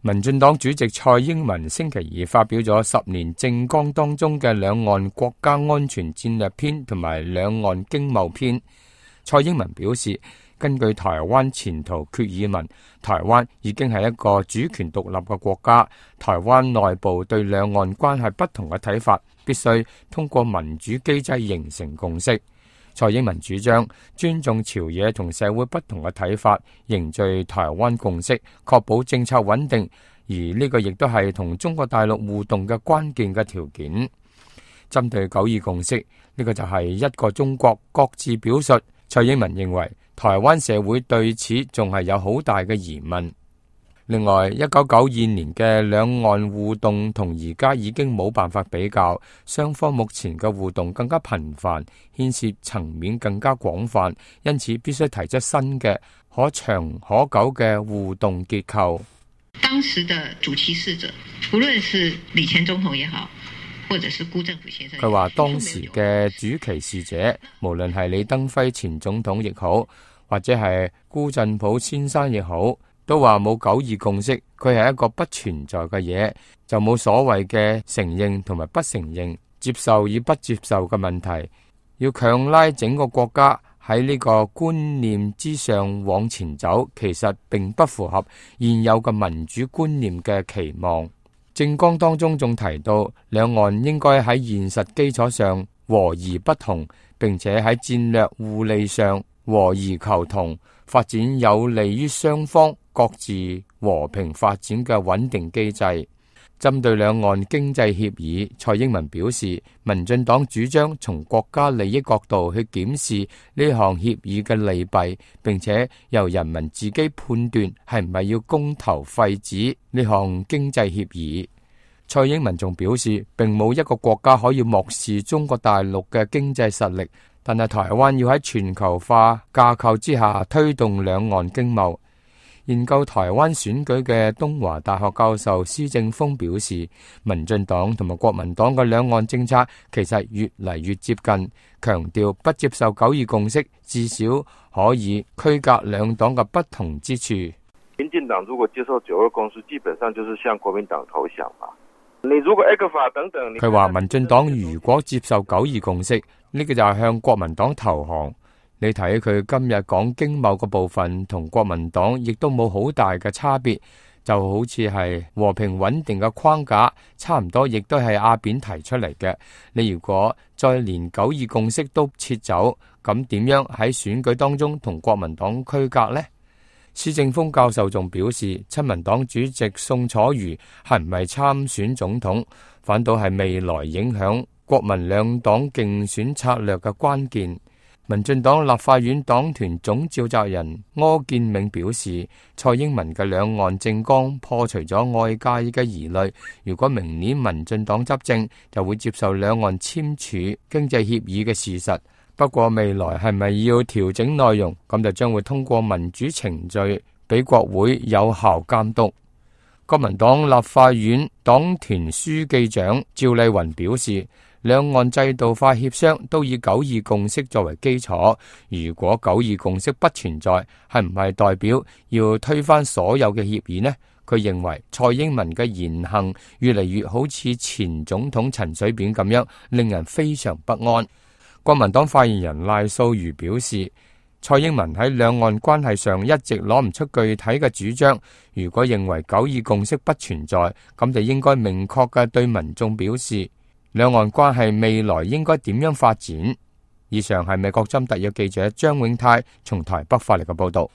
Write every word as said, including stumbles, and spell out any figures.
民進黨主席蔡英文星期二發表咗十年政綱當中嘅兩岸國家安全戰略篇同埋兩岸經貿篇。蔡英文表示，根據台灣前途決議文，台灣已經係一個主權獨立嘅國家，台灣內部對兩岸關係不同嘅睇法，必須通過民主機制形成共識。蔡英文主張尊重朝野同社會不同嘅睇法，凝聚台灣共識，確保政策穩定，而呢個亦都係同中國大陸互動嘅關鍵嘅條件。針對九二共識，呢個就係一個中國各自表述。蔡英文認為台灣社會對此仲係有好大嘅疑問。另外，一九九二年嘅兩岸互動同而家已經冇辦法比較，雙方目前嘅互動更加頻繁，牽涉層面更加廣泛，因此必須提出新嘅可長可久嘅互動結構。當時的主其事者，無論是李前總統也好，或者是辜振甫先生，佢話當時嘅主其事者，無論係李登輝前總統亦好，或者係辜振甫先生亦好，都話冇九二共識，佢係一個不存在嘅嘢，就冇所謂嘅承認同埋不承認、接受與不接受嘅問題。要強拉整個國家喺呢個觀念之上往前走，其實並不符合現有嘅民主觀念嘅期望。政綱當中仲提到，兩岸應該喺現實基礎上和而不同，並且喺戰略互利上和而求同，發展有利於雙方各自和平發展嘅穩定機制。針對兩岸經濟協議，蔡英文表示，民進黨主張從國家利益角度去檢視呢項協議嘅利弊，並且由人民自己判斷係唔係要公投廢止呢項經濟協議。蔡英文仲表示，並冇一個國家可以漠視中國大陸嘅經濟實力，但係台灣要喺全球化架構之下推動兩岸經貿。研究台灣選舉嘅東華大學教授施正峰表示，民進黨同埋國民黨嘅兩岸政策其實越嚟越接近，強調不接受九二共識，至少可以區隔兩黨嘅不同之處。民進黨如果接受九二共識，基本上就是向國民黨投降嘛。你如果 A 克法等等，佢話民進黨如果接受九二共識，呢個就係向國民黨投降。你睇佢今日講經貿嘅部分，同國民黨亦都冇好大嘅差別，就好似係和平穩定嘅框架，差唔多亦都係阿扁提出嚟嘅。你如果再連九二共識都撤走，咁點樣喺選舉當中同國民黨區隔呢？施正峰教授仲表示，親民黨主席宋楚瑜係唔係參選總統，反倒係未來影響國民兩黨競選策略嘅關鍵。民進黨立法院黨團總召集人柯建銘表示，蔡英文嘅兩岸政綱破除咗外界嘅疑慮，如果明年民進黨執政，就會接受兩岸簽署經濟協議嘅事實。不過未來係咪要調整內容，咁就將會通過民主程序俾國會有效監督。國民黨立法院黨團書記長趙麗雲表示，兩岸制度化協商都以九二共識作為基礎，如果九二共識不存在，係唔係代表要推翻所有嘅協議呢？佢認為蔡英文嘅言行越嚟越好似前總統陳水扁咁樣，令人非常不安。國民黨發言人賴素如表示，蔡英文喺兩岸關係上一直攞唔出具體嘅主張，如果認為九二共識不存在，咁就應該明確嘅對民眾表示兩岸關係未來應該點樣發展。以上係美國針特約記者張永泰從台北發嚟嘅報道。